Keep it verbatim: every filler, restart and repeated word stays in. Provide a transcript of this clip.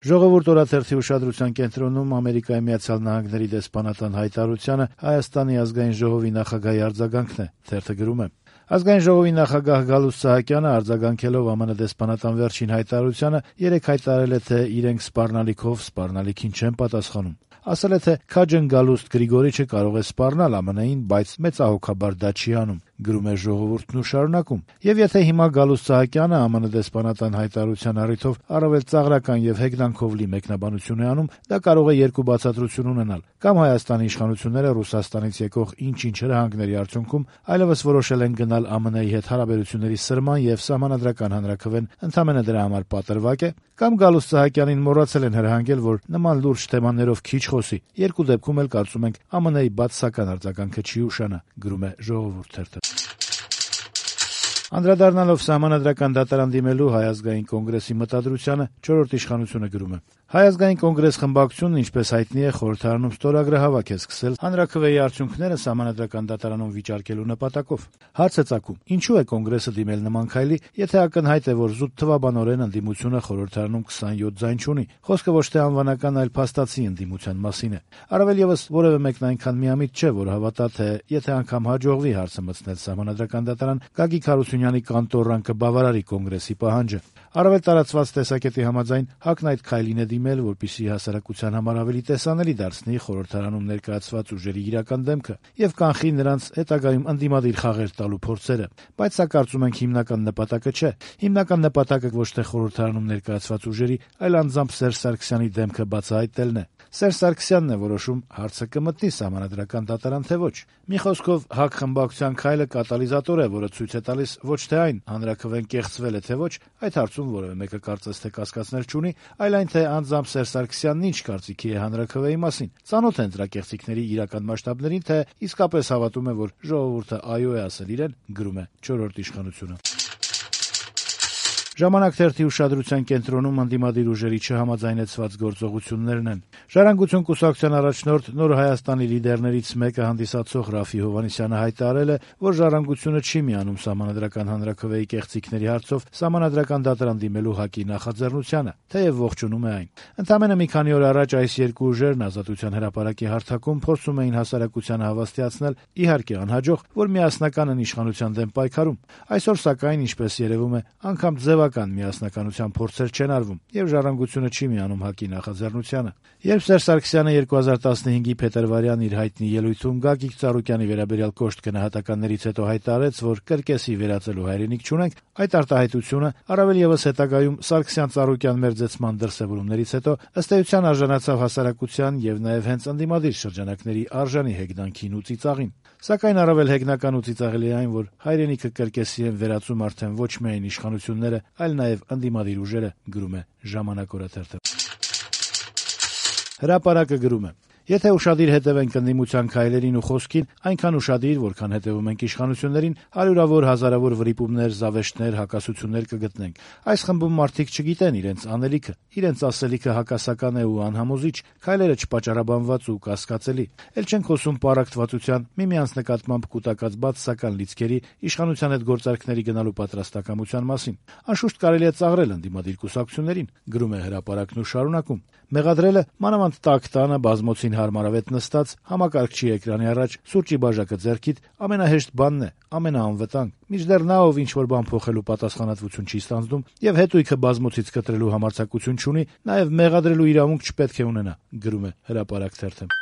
Ժողովուրդ օրաթերթի ուշադրության կենտրոնում Ամերիկայի Միացյալ Նահանգների դեսպանատան հայտարարությանը Հայաստանի ազգային ժողովի նախագահի արձագանքն է, թերթը գրում է. Ազգային ժողովի նախագահ Գալուստ Սահակյանը արձագանքելով ԱՄՆ դեսպանատան վերջին հայտարարությանը երեկ հայտարարել է, թե իրենք սպառնալիքով սպառնալիքին չեն պատասխանում։ Ասել է, թե Քաջն Գալուստ Գրիգորիչը կարող է սպառնալ ԱՄՆ-ին, բայց մեծահոգաբար դա չի անում, գրում է Ժողովուրդն ու շարունակում. Եվ եթե հիմա Գալուստ Սահակյանը ԱՄՆ դեսպանատան հայտարարության առիթով առավել ծաղրական եւ հեգնանքով լի մեկնաբանություն է անում, դա կարող է երկու բացատրություն ունենալ. կամ Հայաստանի իշխանությունները Ռուսաստանից եկող ինչ-ինչ հրահանգների արդյունքում այլևս որոշել են գնալ ԱՄՆ-ի հետ հարաբերությունների սրման եւ սահմանադրական հանրաքվեն ընդամենը դրա համար պատրվակ է, կամ Գալուստ Սահակյանին մոռացել են հրահանգել, որ նման լուրջ թեմաներով քիչ խոսի։ Երկու դեպքում էլ կարծում ենք ԱՄՆ-ի բացասական արձագանքը չի ուշանա, գրում է Ժողովուրդ թերթը։ Անդրադառնալով Սահմանադրական դատարան դիմելու Հայ ազգային կոնգրեսի մտադրությանը, չորրորդ իշխանությունը գրում է. Հայ ազգային կոնգրես խմբակցությունն, ինչպես հայտնի է, խորհրդարանում ստորագրահավաք է սկսել հանրաքվեի արդյունքները Սահմանադրական դատարանում վիճարկելու նպատակով։ Հարց է ծագում. ինչու է կոնգրեսը դիմել նման քայլի, եթե ակնհայտ է, որ զուտ թվաբանորեն ընդդիմությունը խորհրդարանում քսանյոթ ձայն չունի։ Խոսքը ոչ թե անվանական, այլ փաստացի ընդդիմության մասին է։ Առավել եւս որևէ մեկն այնքան միամիտ չէ, որ հավատա, թե եթե անգամ հաջողվի հարցը մտցնել Սահմանադրական դատարան, Գագիկ Հարությունյանի կանտորան կբավարարի կոնգրեսի պահանջը։ Առավել տարածված տեսակետի համաձայն ՀԱԿ-ն այդ քայլին է դիմել, որպեսզի հասարակության համար ավելի տեսանելի դարձնի խորհրդարանում ներկայացված ուժերի իրական դեմքը եւ կանխի նրանց հետագայում ընդդիմադիր խաղեր տալու փորձերը։ Բայց սա կարծում ենք հիմնական նպատակը չէ։ Հիմնական նպատակը ոչ թե խորհրդարանում ներկայացված ուժերի, այլ անձամբ Սերժ Սարգսյանի դեմքը բացահայտելն է։ Սերժ Սարգսյանն է որոշում հարցը կմտնի Սահմանադրական դատարան, թե ոչ։ Մի խոսքով ՀԱԿ խմբակցության քայլը կատալիզատոր է, որը ցույց է տալիս ոչ թե այն հանրաքվեն կեղծվել է, թե ոչ, այդ հարցում որևէ մեկը կարծես թե կասկածներ չունի, այլ այն, թե անձամբ Սերժ Սարգսյանն ինչ կարծիքի է հանրաքվեի մասին։ Ծանոթ են դրա կեղծիքների իրական մասշտաբներին, թե իսկապես հավատում է, որ ժողովուրդը այո է ասել իրեն, գրում է չորրորդ իշխանությունը։ Ժամանակ թերթի ուշադրության կենտրոնում ընդդիմադիր ուժերի չհամաձայնեցված գործողություններն են։ Ժառանգություն կուսակցության առաջնորդ Նոր Հայաստանի լիդերներից մեկը հանդիսացող Ռաֆի Հովհաննիսյանը հայտարարել է, որ Ժառանգությունը չի միանում Սահմանադրական հանրաքվեի կեղծիքների հարցով Սահմանադրական դատարան դիմելու ՀԱԿ-ի նախաձեռնությանը, թեև ողջունում է այն։ Ընդամենը մի քանի օր առաջ այս երկու ուժերն Ազատության հրապարակի հարթակում փորձում էին հասարակությանը հավաստիացնել, իհարկե անհաջող, որ միասնական են իշխանության դեմ պայքարում։ Այսօր սակայն, ինչպես երևում է, անգամ ձևական միասնականության փորձեր չեն արվում, եւ Ժառանգությունը չի միանում ՀԱԿ-ի նախաձեռնությանը։ Երբ Սերժ Սարգսյանը երկու հազար տասնհինգի փետրվարյան իր հայտնի ելույթում Գագիկ Ծառուկյանի վերաբերյալ կոշտ գնահատականներից հետո հայտարարեց, որ կրկեսի վերածելու հայրենիք չունենք, այդ արտահայտությունը առավել եւս հետագայում Սարգսյան-Ծառուկյան մերձեցման դրսեւորումներից հետո ըստ էության արժանացավ հասարակության եւ նաեւ հենց ընդդիմադիր շրջանակների արժանի հեգնանքին ու ծիծաղին։ Սակայն առավել հեգնական ու ծիծաղելի է այն, որ հայրենիքը կրկեսի են վերածում արդեն ոչ միայն իշխանությունները, այլ նաեւ ընդդիմադիր ուժերը, գրում է Ժամանակ օրաթերթը։ Հրապարակը գրում է. Եթե ուշադիր հետևենք ընդդիմության քայլերին ու խոսքին, այնքան ուշադիր, որքան հետևում ենք իշխանություններին, հարյուրավոր հազարավոր վրիպումներ, զավեշտներ, հակասություններ կգտնենք։ Այս խմբում մարդիկ չգիտեն իրենց անելիքը, իրենց ասելիքը հակասական է ու անհամոզիչ, քայլերը չպատճառաբանված ու կասկածելի։ Էլ չենք խոսում պառակտվածության, միմյանց նկատմամբ կուտակած բացասական լիցքերի, իշխանության հետ գործարքների գնալու պատրաստակամության մասին։ Անշուշտ կարելի է ծաղրել ընդդիմադիր կուսակցություններին, գրում է Հրապարակն ու շարունակում։ Մեղադրելը մանավանդ տաք տանը բազմոցին հարմարավետ նստած, համակարգչի էկրանի առաջ, սուրճի բաժակը ձեռքիդ, ամենահեշտ բանն է, ամենաանվտանգ։ Մինչդեռ նա, ով ինչ-որ բան փոխելու պատասխանատվություն չի ստանձնում եւ հետույքը բազմոցից կտրելու համարձակություն չունի, նաեւ մեղադրելու իրավունք չպետք է ունենա, գրում է Հրապարակ թերթը։